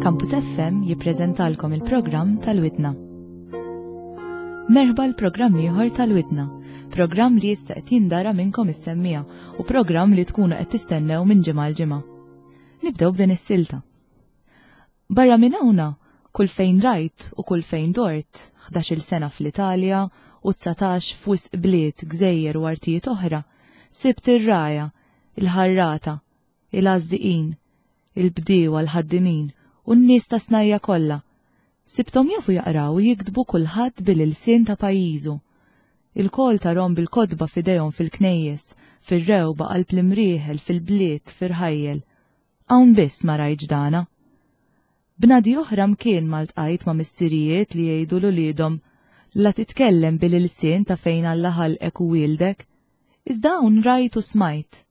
Campus FM jippreżentalkom il-programm tal-Widna. Merħba l-programm ieħor tal-Widna, programm li issa qed jindara minnkom is-semmija u programm li tkunu qed tistennew minn ġimgħa l ġimgħa. Nibdew b'din is-silta. Barra minn hawnha, kull fejn rajt u kull fejn dort, ħdax-il sena fl-Italja u 19 f'wisq bliet, gżejjer u artijiet oħra, sibt ir-rgħajja, il-ħarrata, il-għażżiqin, il-bdiewa, l-ħaddimin u n-nies ta' snajja' kollha. Sibthom jafu jaqraw u jiktbu kulħadd bil-ilsien ta' pajjiżu. Ilkoll tarhom bil-kotba f'idejhom fil-knejjes, fir-rewba, qalb l-imrieħel, fil-bliet, f'irħajjel. Hawn biss ma rajtx dana. Bnadi oħra mkien ma ltqajt ma' missirijiet li jgħidu 'l uliedhom, La titkellem bil-ilsien ta' fejn Alla ħalqek u wieldek. Iżda hawn rajt u smajt.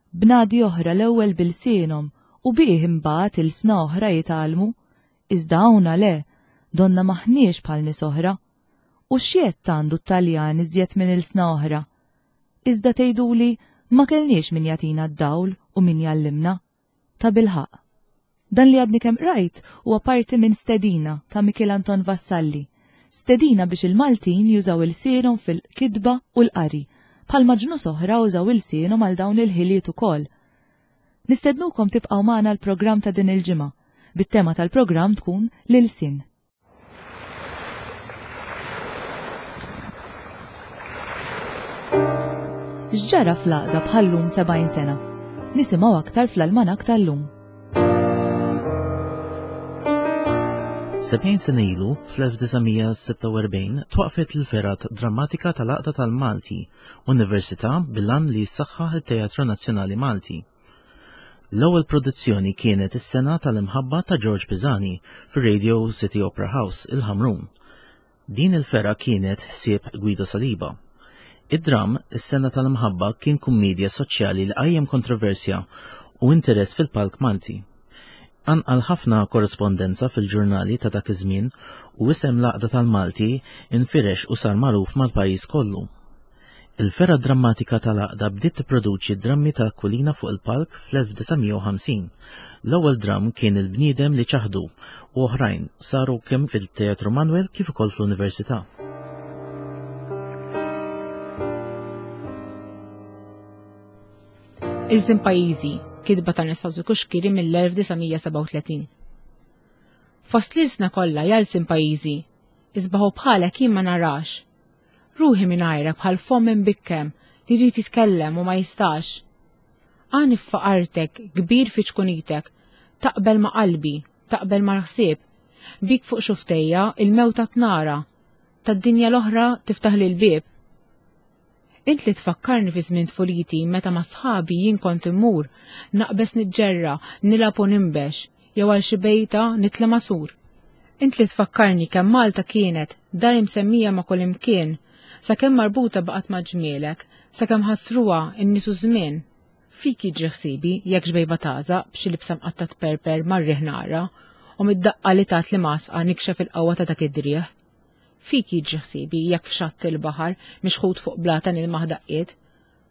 Bnadi oħra l-ewwel b'ilsienhom u bih imbagħad ilsna oħra jitgħallmu. Iżda hawnha le, donna m'aħniex bħal nies oħra. U x'jedd għandu t-Taljan iżjed minn ilsna oħra? Iżda tgħiduli ma kellniex min jagħtina d-dawl u min jgħallimna. Tabilħaqq. Dan li għadni kemm qrajt huwa parti minn Stedina ta' Mikiel Anton Vassalli. Stedina biex il-Maltin jużaw ilsienhom fil-kitba u l-qari, bħalma ġnus oħra użaw ilsienhom għal dawn il-ħiliet ukoll. Nistednukom tibqgħu magħna l-programm ta' din il-ġimgħa, bit-tema tal-programm tkun l-ilsien. X'ġara fl-għaqda bħal-lum 70 sena? Nisimgħu aktar fl-almanak tal-lum. 70 sena ilu, fl-1946, twaqfet l-Fergħa Drammatika tal-Għaqda tal-Malti, Università bil-għan li jissaħħaħ it-Teatru Nazzjonali Malti. L-ewwel produzzjoni kienet Is-Sena tal-Imħabba ta' George Pisani fir-Radio City Opera House, il-Ħamrun. Din il-fergħa kienet ħsieb Guido Saliba. Id-dramm Is-Sena tal-Imħabba kien kummiedja soċjali li qajjem kontroversja u interess fil-palk Malti. Qanqal ħafna korrispondenza fil-ġurnali ta' dak iż-żmien u isem l-Għaqda tal-Malti nfirex u sar magħruf mal-pajjiż kollu. Il-fergħa drammatika tal-Għaqda bdiet tipproduċi d-drammi ta' Aquilina fuq il-palk fl-1950. L-ewwel dramm kien Il-Bniedem li Ċaħdu u oħrajn saru kemm fil-Teatru Manoel kif ukoll fl-Università. Ilsien Pajjiżi, kitba ta' Anastasio Cuschieri mill-1937. Fost l-ilsna kollha ja lsien pajjiżi, isbaħu bħalek jien ma narax. Ruħi mingħajrek bħal fomm imbikkem li jrid jitkellem u ma jistax. Għani f'faqartek, kbir fi ċkunitek, taqbel ma' qalbi, taqbel mal-ħsieb. Bik fuq xuftejja il-mewta tnara, tad-dinja l-oħra tiftaħli l-bieb. Int li tfakkarni fi żmien tfuliti meta ma' sħabi jien kont immur, naqbeż niġġerra, nilgħab u ninbex, jew għal xi bejta nitla' ma' sur. Int li tfakkarni kemm Malta kienet dar imsemmija ma' kullimkien, sakemm marbuta baqgħet ma' ġmielek, sakemm ħassruha n-nies u ż-żmien. Fik jiġri ħsiebi jekk xbejba tagħżaq b'xi libsa mqatta' tperper mar-riħ nara, u mid-daqqa li tat li m'għasqa nikxef il-qawwa ta' dak id-driegħ. Fik jiġri ħsiebi jekk f'xatt il-baħar mixħut fuq blata nilmaħ daqqiet.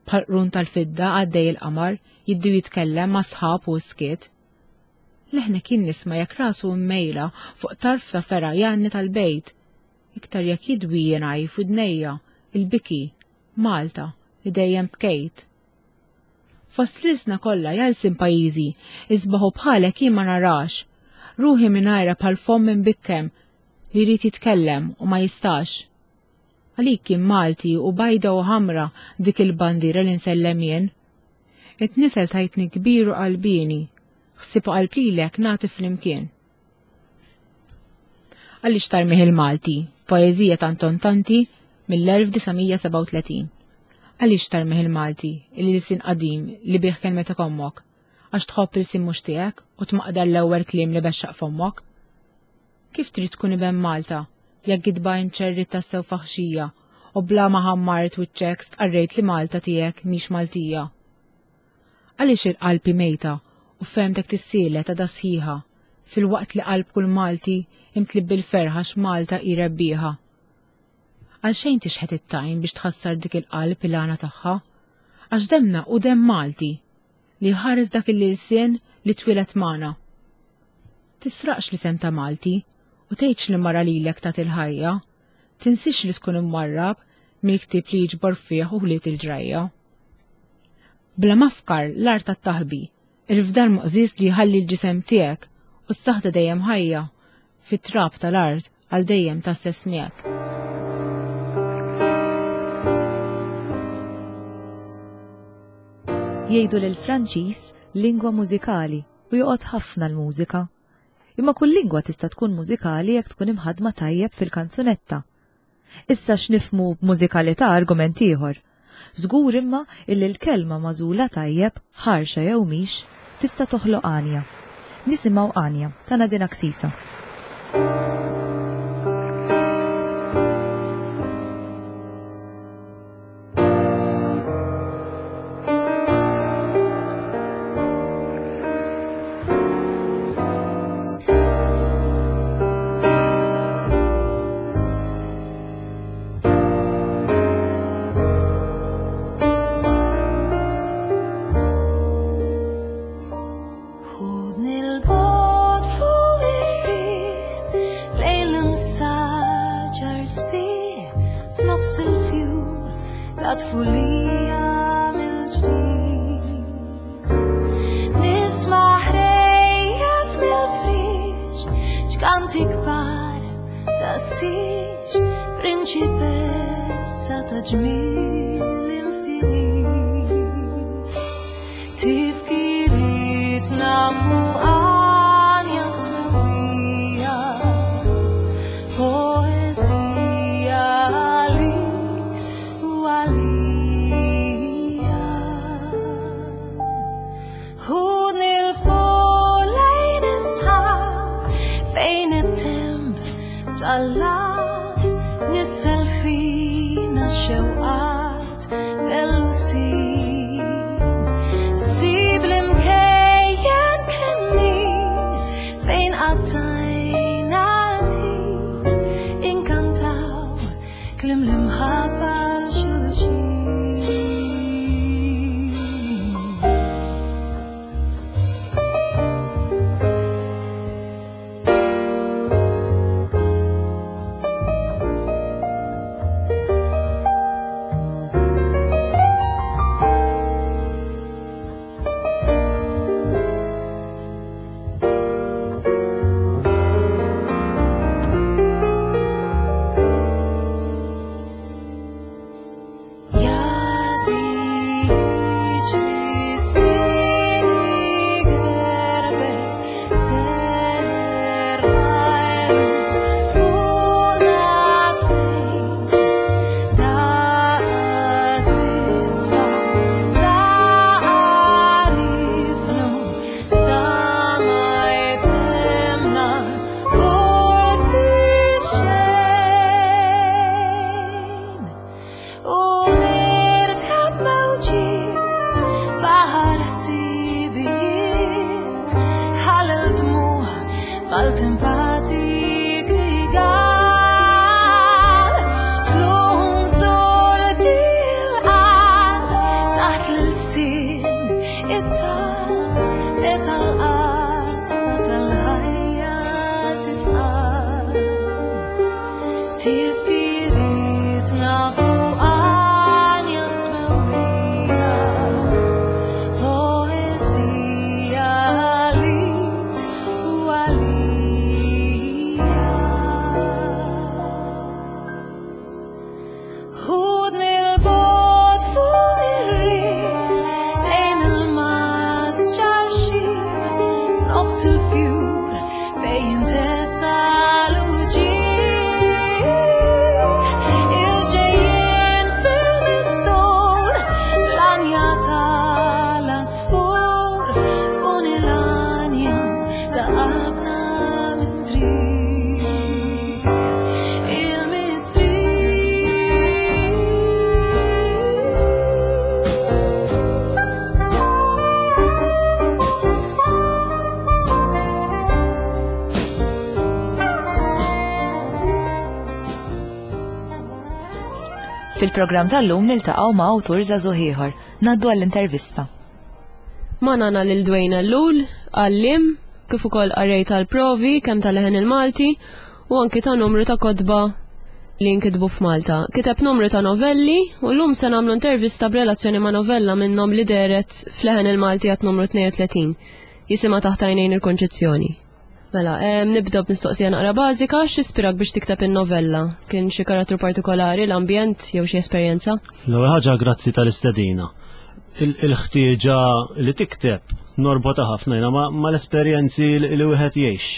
Bħal qrun tal-fidda għaddej il-qamar jiddi u jitkellem ma' sħab u skiet. Leħnek jien nisma' jekk rasu mmejla fuq tarf ta' fergħa jgħanni tal-bejt. Iktar jekk jidwi jingħaj f'widnejja il-biki, Malta, li dejjem bkejt. Fost l-ilsna kollha jalsin pajjiżi, isbaħu bħalek jien ma narax. Ruħi mingħajra bħal fomm imbikkem li jrid jitkellem u ma jistax. Għalik kien Malti u bajda u ħamra dik il-bandiera li nsellem jien. Int nisel tajtni kbir u qalbieni, ħsieb u qalb lilek nagħti flimkien. Għaliex tarmih il-Malti, poeżija ta' Anton Tanti mill-1937. Għaliex tarmih il-Malti, il-ilsien qadim li bih kelmetek ommok, għax tħobb ilsien mhux tiegħek u tmaqdar l-ewwel kliem li bexxaq fommok? Kif trid tkun iben Malta, jekk gidba inċerrit tassew faħxija u bla ma ħammart wiċċek stqarrejt li Malta tiegħek mhix Maltija? Għaliex il-qalb hi mejta u fehmtek tissielet għadha sħiħa, filwaqt li qalb kull Malti imtliet bil-ferħ għax Malta hi rebbieħa? Għalxejn tixħet it-tajn biex tħassar dik il-qalb il-għana tagħha, għax demna hu demm Malti li jħares dak il-ilsien li twieled magħna. Tisraqx l-isem ta' Malti u tgħidx li mara lilek tat il-ħajja, tinsiex li tkun imwarrab mill-ktieb li jiġbor fih uħliet il-ġrajja. Bla mafkar l-art tat-taħbi, il-fdal moqżież li jħalli l-ġisem tiegħek u s-saħta dejjem ħajja fit-trab tal-art għal dejjem tgħasses miegħek. Jgħidu li l-Franċiż lingwa mużikali u joqgħod ħafna l-mużika. Imma kull lingwa tista' tkun mużikali jekk tkun imħaddma tajjeb fil-kanzunetta. Issa x'nifhmu b'mużikalità argument ieħor. Żgur imma illi l-kelma magħżula tajjeb, ħarxa jew mhix, tista' toħloq għanja. Nisimgħu Għanja ta' Nadine Axisa. Ħudni l-bogħod fuq ir-riħ lejn l-imsaġar sbieħ f'nofs il-fjur ta' tfulija mill-ġdid. Nisma' ħrejjef mill-friex ċkanti kbar ta' siġ prinċipessa ta' ġmiel infinit. Tifkirietna fuq għanja smewwija, poeżija għalik u għalija. Ħudni 'l fuq lejn is-sħab fejn it-temp tal-art nissel fina x-xewqat bellusin. Sib l-imkejjen kennin fejn qattajna l-ħin inkantaw kliem l-imħabba għal xulxin. Fil-programm tal-lum niltaqgħu ma' awtur żagħżugħ ieħor. Ngħaddu għall-intervista. Magħna għandna lil Dwayne Ellul, għalliem, kif ukoll qarrej tal-provi kemm tal-leħen il-Malti u anki ta' numru ta' kotba li nkitbu f'Malta. Kiteb numru ta' novelli u llum se nagħmlu intervista b'relazzjoni ma' novella minnhom li dehret f'Leħen il-Malti għat numru 32. Jisimha Taħt Għajnejn il-Konċizzjoni. Mela, nibda b'mistoqsija naqra bażika, x'ispirak biex tikteb in-novella? Kien xi karattru partikolari, l-ambjent jew xi esperjenza? L-ewwel ħaġa grazzi tal-istedina. Il-ħtieġa li tikteb norbota ħafna jiena mal-esperjenzi li wieħed jgħix.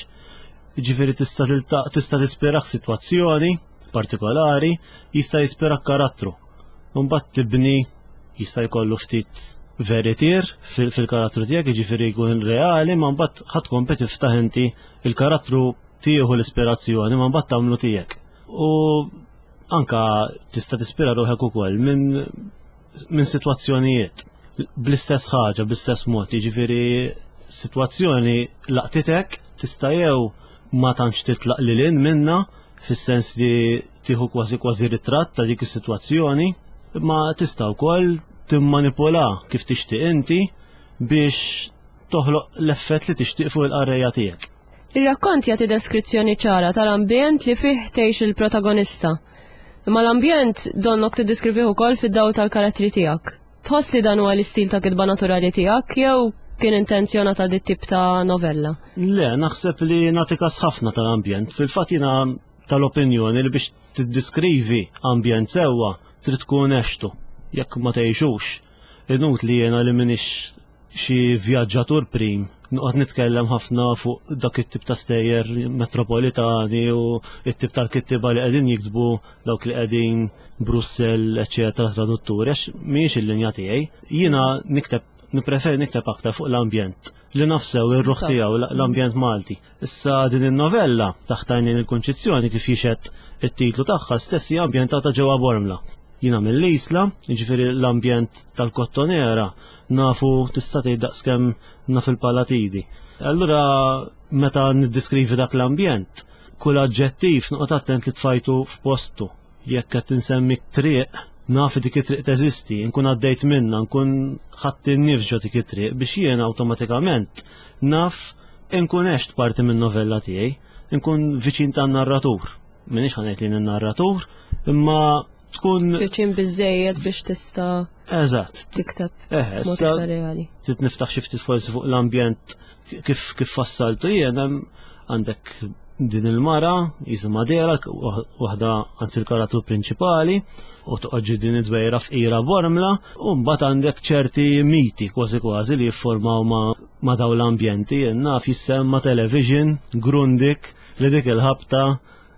Jiġifieri tista' tista' tispirak sitwazzjoni partikolari, jista' jispirak karattru. Mbagħad tibni jista' jkollu ftit veritier fil-karattru tiegħek, jiġifieri jkun reali, ma mbagħad ħadd tkompli tiftaħ inti il-karattru tieħu l-ispirazzjoni, ma mbagħad tagħmlu tiegħek. U anka tista' tispira ruħek ukoll minn min sitwazzjonijiet bl-istess ħaġa, bl-istess mod, jiġifieri sitwazzjoni laqtitek tista' jew ma tantx titlaq lil hinn minna fis-sens li tieħu kważi kważi ritratt ta' dik is-sitwazzjoni, imma tista' wkoll timmanipula kif tixtieq inti biex toħloq l-effett li tixtieq fuq il-qarrejja tiegħek. Ir-rakkont jagħti deskrizzjoni ċara tal-ambjent li fih tgħix il-protagonista. Imma l-ambjent donnok tiddiskrivih ukoll fid-dawl tal-karattri tiegħek. Tħoss li dan huwa l-istil ta' kitba naturali tiegħek jew kien intenzjonata dit tip ta' novella? Le, naħseb li nagħti kas ħafna tal-ambjent. Fil-fatt jiena tal-opinjoni li biex tiddiskrivi ambjent sewwa trid tkun għextu. Jekk ma tgħixux, inutli jiena li m'iniex xi vjaġġatur prim noqgħod nitkellem ħafna fuq dak it-tip ta' stejjer metropolitani u it-tip tal-kittiba li qegħdin jiktbu dawk li qegħdin Brussell, eċetera, tradutturi, għax mhijiex il-linja tiegħi. Jiena nikteb nippreferi nikteb aktar fuq l-ambjent li nafsew ir-ruħ tiegħu l-ambjent Malti. Issa din in-novella taħt għajnejn il-Kunċizzjoni kif jixhed it-titlu tagħha stess hija ambjentata ġewwa Bormla. Jiena mill-Isla, jiġifieri l-ambjent tal-Kottonera nafu tista' tgħid daqskemm naf il-Palatidi. Allura meta niddiskrivi dak l-ambjent, kull aġġettiv noqgħod attent li tfajtu f'postu. Jekk qed insemmi triq, naf li dik it-triq teżisti, nkun għaddejt minnha, nkun ħadt in-nifs ġo dik it-triq biex jien awtomatikament naf inkun għext parti min-novella tiegħi, nkun viċin tan-narratur. M'iniex ħa ngħid li jien in-narratur, imma tkun Viċin biżejjed biex tista' Eżatt. tikteb Eh, mod issa iktar reali. trid niftaħ xi ftit forsi fuq l-ambjent kif kif fassaltu jien hemm għandek din il-mara jisimha Dera, waħda anzi l-karattru prinċipali, u toqgħod din id-dwejra fqira Bormla, u mbagħad għandek ċerti miti kważi kważi li jiffurmaw ma, ma daw l-ambjenti, naf jissemma television, Grundig, li dik il-ħabta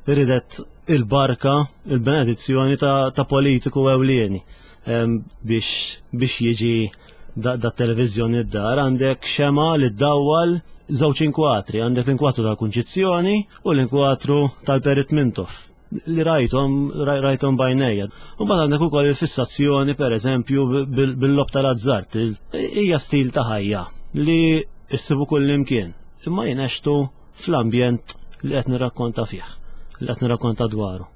ridet il-barka, il-benedizzjoni ta', ta politiku ewlieni biex, biex jiġi da, da televizjoni d-dar għandek xema li ddawwal żewġ inkwatri, għandek l-inkwatru tal-Kunċizzjoni u l-inkwatru tal-Perit Mintoff li rajtom, rajtom bajnejja. U mbagħad għandek ukoll il-fissazzjoni pereżempju bil-lob tal-azzart. Hija stil ta' ħajja li issibu kull imkien. Imma jien għextu fl-ambjent li qed nirrakkonta fih, li qed nirrakkonta dwaru.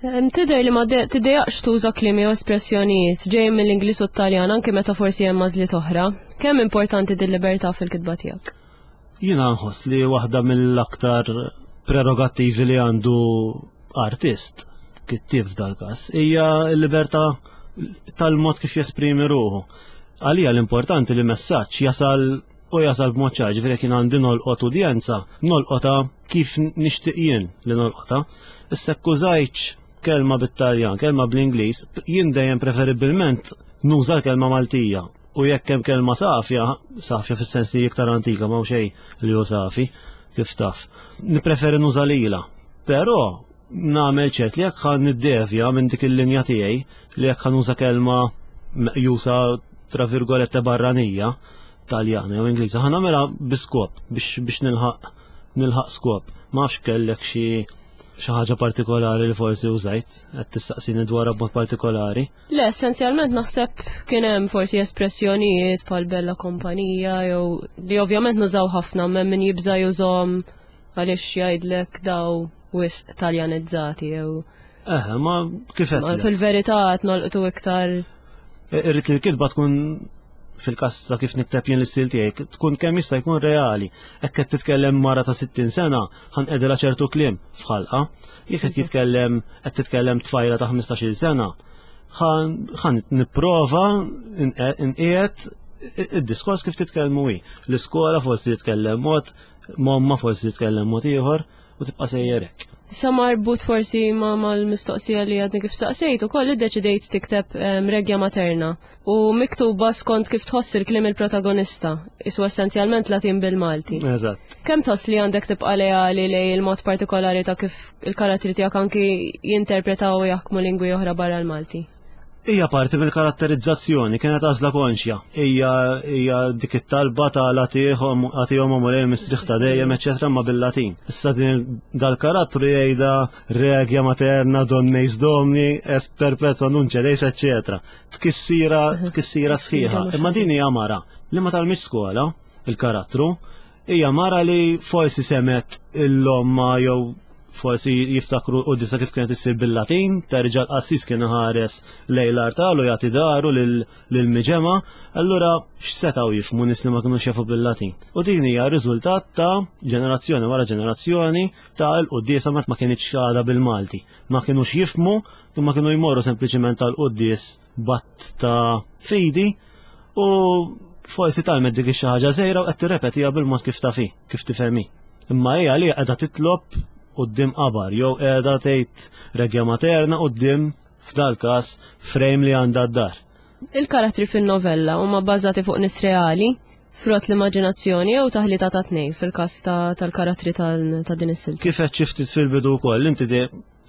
Tidher li ma tiddejjaqx tuża kliem jew espressjonijiet ġejjin mill-Ingliż u t-Taljan anke meta forsi hemm għażliet oħra. Kemm importanti din libertà fil-kitba tiegħek? Jiena nħoss li waħda mill-aktar prerogattivi li għandu artist, kittieb f'dal-każ, hija l-libertà tal-mod kif jesprimi ruħu. Għalija l-importanti li messaġġ jasal u jasal b'mod ċar, ġifieri jekk jien għandi nolqot udjenza, nolqotha kif nixtieq jien li nolqotha. Issa jekk użajtx kelma bit-Taljan, kelma bl-Ingliż, jien dejjem preferibbilment nuża l-kelma Maltija. U jekk hemm kelma safja, safja fis-sens li iktar antika m'hawn xejn li hu safi, kif taf. Nippreferi nuża lilha. Però nagħmel ċert li jekk ħa niddevja minn dik il-linja tiegħi li jekk ħa nuża kelma meqjusa tra virgolette barranija, Taljana jew Ingliża, ħa nagħmilha bi skop biex biex nilħaq nilħaq skop. Ma nafx kellek xi xi ħaġa partikolari li forsi użajt, qed tistaqsini dwarha b'mod partikolari. Le, essenzjalment naħseb kien hemm forsi espressjonijiet bħal bella kompanija jew li ovvjament nużaw ħafna m'hemm min jibża' jużhom għaliex jgħidlek daw wisq Taljanizzati jew. Eh, ma kif qed. Fil-verità qed nolqtu iktar. Irrid li l-kitba tkun fil-każ ta' kif nikteb jien l-istil tiegħi tkun kemm jista' jkun reali. Hekk qed titkellem mara ta' 60 sena, ħanqedilha ċertu kliem f'ħalqa. Jekk qed jitkellem qed titkellem tfajla ta' 15-il sena, ħan nipprova nqiegħed id-diskors kif titkellmu hi. L-iskola forsi titkellem mod, momma forsi titkellem mod ieħor u tibqa' sejjer hekk. Sa marbut forsi ma mal-mistoqsija li għadni kif saqsejt ukoll iddeċidejt tikteb Regia Materna u miktuba skont kif tħoss il-kliem il-protagonista, isu essenzjalment Latin bil-Malti. Eżatt. Kemm tħoss li għandek tibqa' leali lej il-mod partikolari ta' kif il-karattri tiegħek anki jinterpretaw u jaħkmu lingwi oħra barra l-Malti? Hija parti mill-karatterizzazzjoni, kienet għażla konxja. Hija hija dik it-talba ta' latiħom għatihom mulej mistrieħ ta' dejjem, eċetera, ma bil-Latin. Issa din dal-karattru jgħidha regia materna donneis domni es perpetua nunce deis, eċetera. Tkissira tkissira sħiħa. Imma din hija mara li ma talmitx skola il-karattru, Hija mara li forsi semet l-omma jew forsi jiftakru u disa kif kienet issir bil-Latin, terġa' l-qassis kien ħares lejn l-artal u jagħti daru lil-miġema, allura x'setgħu jifhmu nies li ma kinux jafu bil-Latin. U din hija riżultat ta' ġenerazzjoni wara ġenerazzjoni ta' l-quddiesa ma kinitx għadha bil-Malti. Ma kinux jifhmu, imma kienu jmorru sempliċement tal-quddies batt ta' fidi u forsi talmet dik xi ħaġa żgħira u qed tirrepetiha bil-mod kif tafi, kif tifhemi. Imma hija li qiegħda titlob quddiem qabar jew qiegħda tgħid regia materna quddiem f'dal każ frame li għandha d-dar. Il-karattri fin-novella huma bbażati fuq nies reali, frott l-immaġinazzjoni jew taħlita ta' tnejn fil-każ tal-karattri ta' din is-silta. Kif qed xi ftit fil-bidu wkoll, inti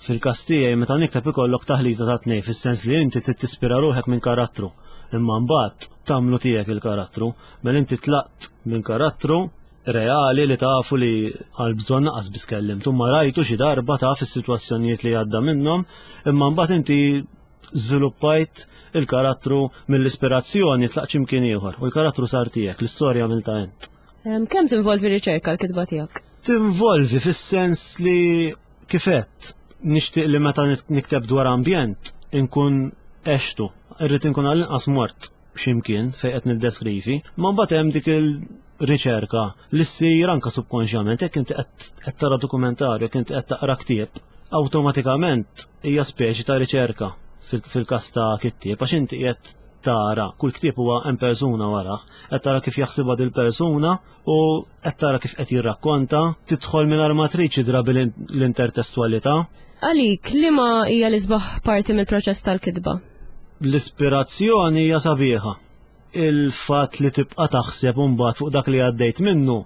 Fil-każ tiegħi meta nikteb ikollok taħlita ta' tnejn fis-sens li inti trid tispira ruħek minn karattru, imma mbagħad tagħmlu tiegħek il-karattru. Mela inti tlaqt minn karattru reali li tafu li għal bżonn naqas biss kellimtu, ma rajtu xi darba taf is-sitwazzjonijiet li għadda minnhom, imma mbagħad inti żviluppajt il-karattru mill-ispirazzjoni tlaqt x'imkien ieħor u l-karattru sar tiegħek, l-istorja għamiltha int. Kemm tinvolvi riċerka l-kitba tiegħek? Tinvolvi fis-sens li Kif għedt, nixtieq li meta nikteb dwar ambjent inkun għextu, irrid inkun għall-inqas mort x'imkien fejn qed niddeskrivi, ma mbagħad hemm dik il-riċerka li ssir anke subkonxjament jekk inti qed tara dokumentarju, jekk inti qed taqra ktieb, awtomatikament hija speċi ta' riċerka fil-każ ta' kittieb għax inti qiegħed tara kull ktieb huwa hemm persuna warah, qed tara kif jaħsibha dil-persuna u qed tara kif qed jirrakkonta, tidħol mingħajr ma trid xi drabi l-intertestwalità. Għalik, liema hija l-isbaħ parti mill-proċess tal-kitba? L-ispirazzjoni hija sabiħa. Il-fatt li tibqa' taħseb imbagħad fuq dak li għaddejt minnu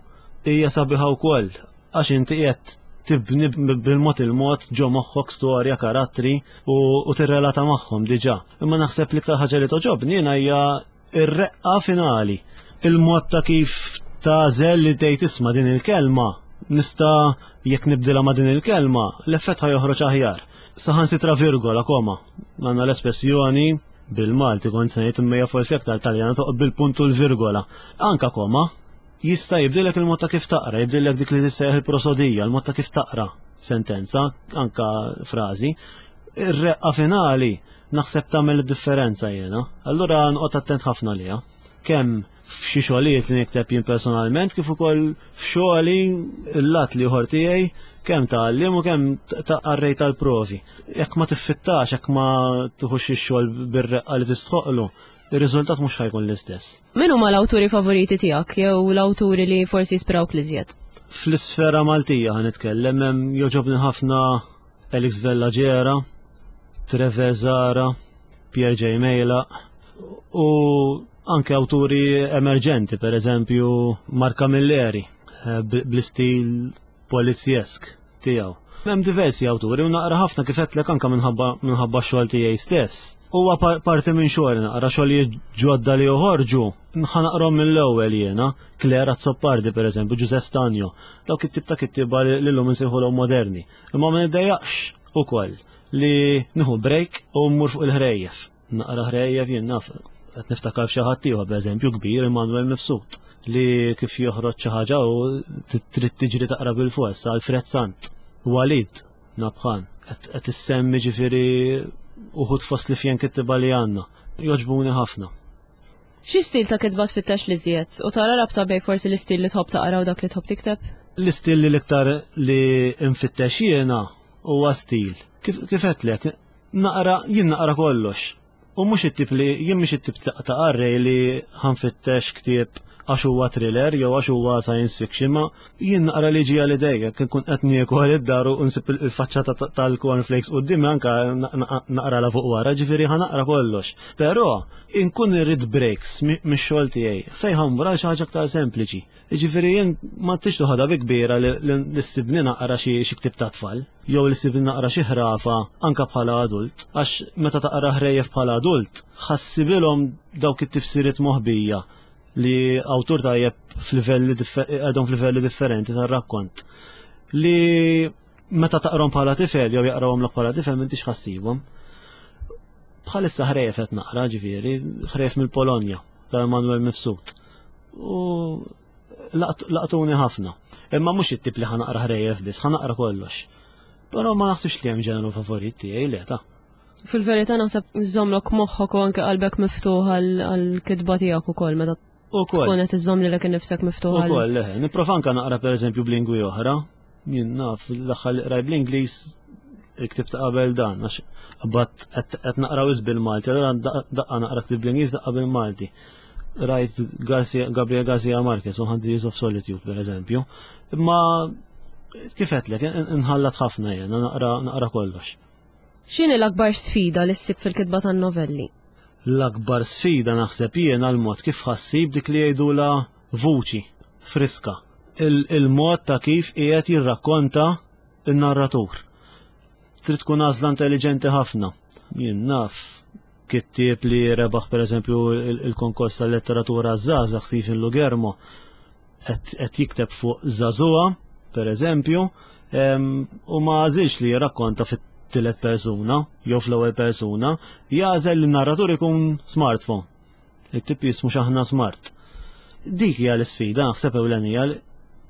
hija sabiħa wkoll għax inti qiegħed tibni bil-mod il-mod ġo moħħok storja, karattri u tirrelata magħhom diġà. Imma naħseb l-iktar ħaġa li toġobni jiena hija Ir-reqqa finali, il-mod ta' kif tagħżel li tgħid isma' din il-kelma, nista' jekk nibdilha ma' din il-kelma, l-effett ħa joħroġ aħjar. Saħansitra virgola, koma. Għandna l-espressjoni bil-Malti kont se ngħid imma hija forsi aktar Taljana toqgħod bil-punt u l-virgola. Anka koma jista' jibdilek il-mod ta' kif taqra, jibdilek dik li tissejjaħ il-prosodija, il-mod ta' kif taqra sentenza, anka frażi. Ir-reqqa finali naħseb tagħmel id-differenza jiena. Allura nqgħod attent ħafna liha. Kemm f'xi xogħlijiet li nikteb jien personalment kif ukoll f'xogħli l-lat li ieħor tiegħi kemm ta' għalliem u kemm ta' qarrej tal-provi. Jekk ma tiffittax, jekk ma tuħux ix-xogħol bir-reqqa li tistħoqlu, ir-riżultat mhux ħajkun l-istess. Min huma l-awturi favoriti tiegħek jew l-awturi li forsi jispirawk l-iżjed? Fl-isfera Maltija ħa nitkellem hemm jogħġobni ħafna Alex Vella Ġera, Trevor Zara, Pierre J. Mejla u anke awturi emerġenti, per eżempju Mark Camilleri, eh, bl-istil polizjesk tiegħu. Hemm diversi awturi u naqra ħafna kif għedtlek anke minħabba minħabba x-xogħol tiegħi stess. Huwa parti minn xogħol naqra xogħlijiet ġodda li joħorġu, naqrom mill-ewwel jiena, Claire Azzopardi per eżempju, Ġuże Stanjo, dawk it-tip ta' kittieba li llum insejħulhom moderni. Imma ma niddejjaqx ukoll li nieħu break u mmur fuq il-ħrejjef. Naqra ħrejjef jien naf qed niftakar f'xi ħadd ieħor pereżempju kbir Immanuel Mifsud li kif joħroġ xi ħaġa u trid tiġri taqra bil-fors Alfred Sant. Walid. Nabhan. Qed issemmi ġifieri uħud fost li fjen kittiba li għandna. Joġbuni ħafna. Xi stil ta' kitba tfittex li żjed u tara rabta bej forsi l-istil li tħobb taqra u dak li tħobb tikteb? L-istil li l-iktar li nfittex jiena huwa stil. Kif għedtlek, naqra jien naqra kollox. U mhux it-tip li jien mhux it-tip ta' qarrej li ħanfittex ktieb għax huwa thriller jew għax huwa science fiction, ma jien naqra li ġija li dejja kien kun qed niekol id-dar u nsib il-faċċata tal-cornflakes qudiemi anka naqra la fuq wara, ġifieri ħa naqra kollox. Però inkun irrid breaks mix-xogħol tiegħi fejn ħammur għal xi ħaġa aktar sempliċi. Jiġifieri jien ma tix toħodha bi kbira li ssibni naqra xi ktieb ta' tfal jew li ssibni naqra xi ħrafa anka bħala adult, għax meta taqra ħrejjef bħala adult ħassibilhom dawk it-tifsiriet moħbija li awtur tajjeb f'livelli għadhom f'livelli differenti tar-rakkont li meta taqrom bħala tifel jew jaqrawhomlok bħala tifel m'intix ħassibhom. Bħalissa ħrejjef qed naqra ġifieri, ħrejjef mill-Polonja ta' Emanuel Mifsud. U laqtuni ħafna. Imma mhux it-tip li ħanaqra ħrejjef biss, ħanaqra kollox. Però ma naħsibx li hemm ġeneru favorit tiegħi le ta'. Fil-verità naħseb żommlok moħħok u anke qalbek miftuħ għall-kitba tiegħek ukoll meta tkun qed iżżomm lilek innifsek miftuħ. Ukoll, leħe, nipprova anke naqra pereżempju b'lingwi oħra. Jien naf l-aħħar li qraj bl-Ingliż il-ktib ta' qabel dan, għax bat qed naqra wis bil-Malti, allura daqqa naqra ktib bl-Ingliż daqqa bil-Malti. Rajt Gabriel Garcia Marquez, 100 Years of Solitude, per eżempju. Imma kif għedtlek, nħallat ħafna jena, naqra kollox. X'inhi l-akbar sfida li ssib fil-kitba tan-novelli? L-akbar sfida naħseb jiena l-mod kif ħassib dik li jgħidula vuċi friska. Il-mod ta' kif qiegħed jirrakkonta n-narratur. Trid tkun għażla intelligenti ħafna. Jien naf kittieb li rebaħ pereżempju il-konkors tal-letteratura żgħażagħ Stephen Lugermo qed jikteb fuq żagħżugħa, pereżempju, u ma għażilx li jirrakkonta fit-tielet persuna jew fl-ewwel persuna, jagħżel li n-narratur ikun smartphone. Il-tip jismu xaħna smart. Dik hija l-isfida, naħseb ewlenija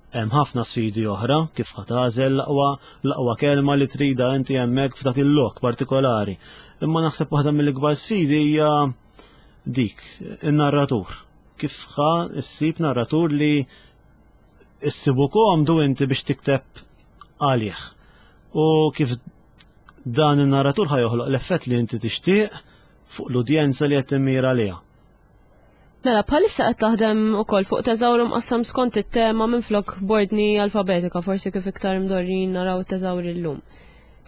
hemm ħafna sfidi oħra kif ħa tagħżel l-aqwa l-aqwa kelma li trida inti hemmhekk f'dak il-lok partikolari. Imma naħseb waħda mill-ikbar sfidi hija dik, in-narratur. Kif ħa ssib narratur li issibu komdu inti biex tikteb għalih. U kif dan in-narratur ħa joħloq l-effett li inti tixtieq fuq l-udjenza li qed timmira għaliha. Mela, bħalissa qed taħdem ukoll fuq teżawru mqassam skont it-tema minflok b'ordni alfabetika, forsi kif iktar imdorrin naraw it-teżawri llum.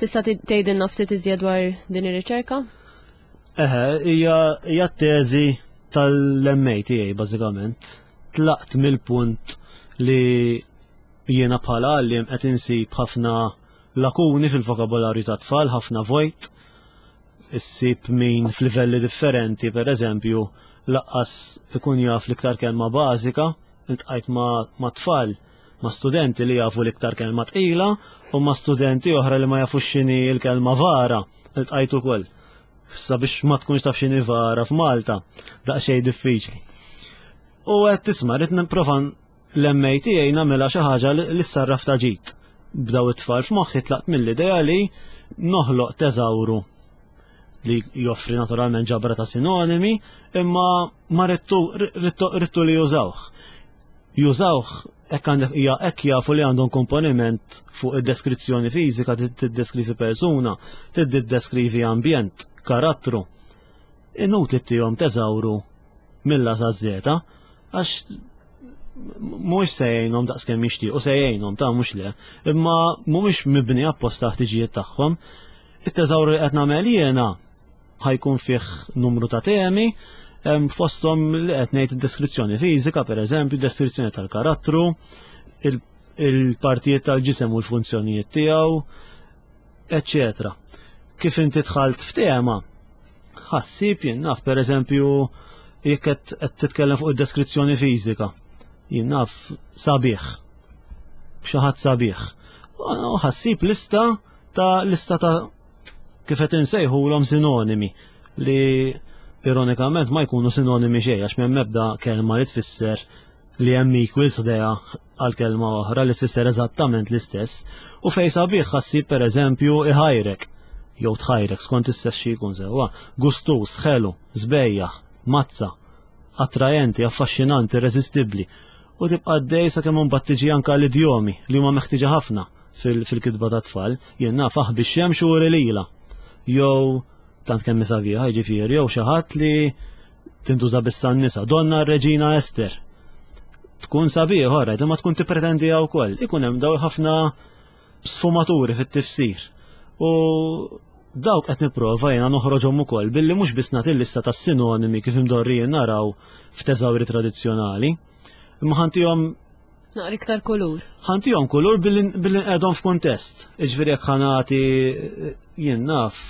Tista' tgħidilna ftit iżjed dwar din ir-riċerka? Eħe, hija t-teżi tal-MA tiegħi bażikament. Tlaqt mill-punt li jiena bħala għalliem qed insib ħafna lakuni fil-vokabolarju tat-tfal, ħafna vojt. Issib min f'livelli differenti, per eżempju, laqqas ikun jaf l-iktar kelma bażika, iltqajt ma' tfal, ma' studenti li jafu l-iktar kelma tqila u ma' studenti oħra li ma jafux x'inhi l-kelma vara, iltqajt ukoll. Issa biex ma tkunx taf x'inhi vara f'Malta, daqsxejn diffiċli. U qed tisma' rrid nipprova l-MA tiegħi nagħmilha xi ħaġa li ssarraf ta' ġid. B'daw it-tfal f'moħħi tlaqt mill-idea li noħloq teżawru li joffri naturalment ġabra ta' sinonimi, imma ma rittu li jużawh. Jużawh hekk għandek hija hekk jafu li għandhom komponiment fuq id-deskrizzjoni fiżika tiddeskrivi persuna, tiddeskrivi ambjent, karattru. Inutli tihom teżawru mill-A sa Z, għax mhuwiex se jgħinhom daqskemm jixtiequ se jgħinhom ta' mhux le, imma mhumiex mibni apposta ħtiġijiet tagħhom. It-teżawru li qed nagħmel jiena ħajkun fih numru ta' temi, fosthom li qed ngħid id-deskrizzjoni fiżika, pereżempju, deskrizzjoni tal-karattru, il-partijiet tal-ġisem u l-funzjonijiet tiegħu, eċċetera. Kif inti dħalt f'tema, ħassib jien naf pereżempju jekk qed titkellem fuq id-deskrizzjoni fiżika, jien naf sabiħ, xi ħadd sabiħ. U ħassib lista ta' lista ta' kif qed insejħulhom sinonimi li ironikament ma jkunu sinonimi xejn għax m'hemm ebda kelma li tfisser li hemm equals ħdejha għal kelma oħra li tfisser eżattament l-istess u fejn sabiħ ħassib pereżempju iħajrek jew tħajrek skont is-sess xi jkun sewwa, gustus, ħelu, sbejjaħ, mazza, attrajenti, affaxxinanti, irreżistibbli u tibqa' għaddej sakemm imbagħad tiġi anke l-idjomi li huma meħtieġa ħafna fil-kitba tat-tfal. Jien naf aħbi x-xemx u uri lilha. Jew tant kemm sabiħa, jiġifieri, jew xi ħadd li tintuża biss għan-nisa. Donna r-Reġina Ester. Tkun sabiħ, orajt, imma tkun tippretendiha wkoll. Ikun hemm daw ħafna sfumaturi fit-tifsir. U dawk qed nipprova jiena noħroġhom ukoll billi mhux biss nagħti lista ta' sinonimi kif imdorrijin naraw f'teżawri tradizzjonali, imma ħantihom Naqra iktar kulur. Ħantihom kulur billi nqegħdhom f'kuntest. Iġifieri jekk ħanati jien naf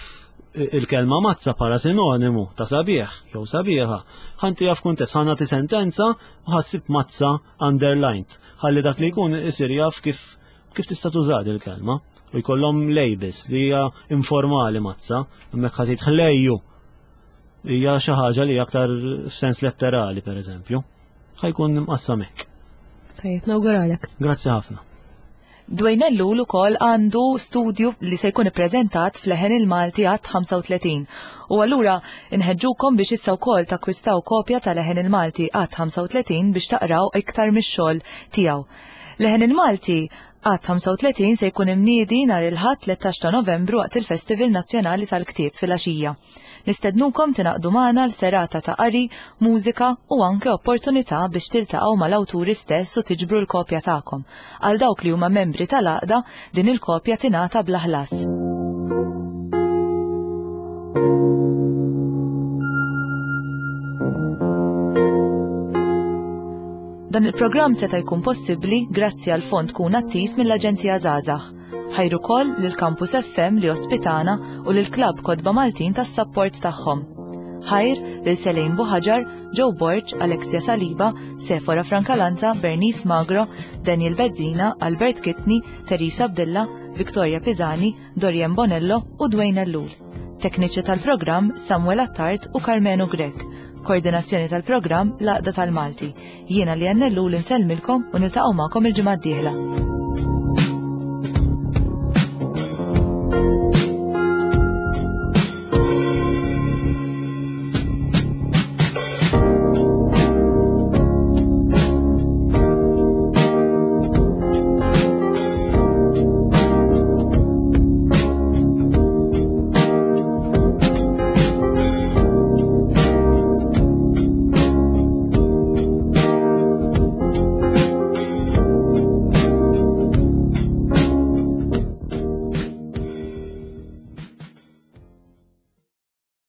il-kelma mazza bħala sinonimu ta' sabiħ jew sabiħa, ħantiha f'kuntest, ħanati sentenza u ħassib mazza underlined. Ħalli dak li jkun isir jaf kif kif tista' tuża il-kelma u jkollhom labels li hija informali mazza, hemmhekk ħadd ħlejju hija xi ħaġa li aktar f'sens letterali pereżempju. Ħajkun imqassam hekk. Tajjeb, nawguralek. Grazzi ħafna. Dwayne Ellul ukoll għandu studju li se jkun ippreżentat f'Leħen il-Malti għadd 35. U allura nħeġġukom biex issa wkoll takkwistaw kopja ta' Leħen il-Malti għadd 35 biex taqraw iktar mix-xogħol tiegħu. Leħen il-Malti għadd 35 se jkun imniedi nhar il-Ħadd 13 ta' Novembru waqt il-Festival Nazzjonali tal-Ktieb filgħaxija. Nistednukom tingħaqdu magħna għal serata ta' qari, mużika u anke opportunità biex tiltaqgħu mal-awturi stess u tiġbru l-kopja tagħkom. Għal dawk li huma membri tal-għaqda, din il-kopja tingħata bla ħlas. Dan il-programm seta' jkun possibbli grazzi għal fond Kun Attiv mill-Aġenzija Żgħażagħ. Ħajr ukoll lil Campus FM li ospitana u lil Klabb Kotba Maltin tas-sapport tagħhom. Ħajr lil Selejn Buħaġar, Joe Borg, Alexia Saliba, Sefora Francalanza, Bernice Magro, Daniel Bezzina, Albert Kitni, Teresa Abdilla, Victoria Pisani, Dorian Bonello u Dwayne Ellul. Tekniċi tal-programm Samuel Attard u Carmenu Grech. Koordinazzjoni tal-programm L-Għaqda tal-Malti. Jiena li Ellul insellmilkom u niltaqgħu magħkom il-ġimgħa d-dieħla.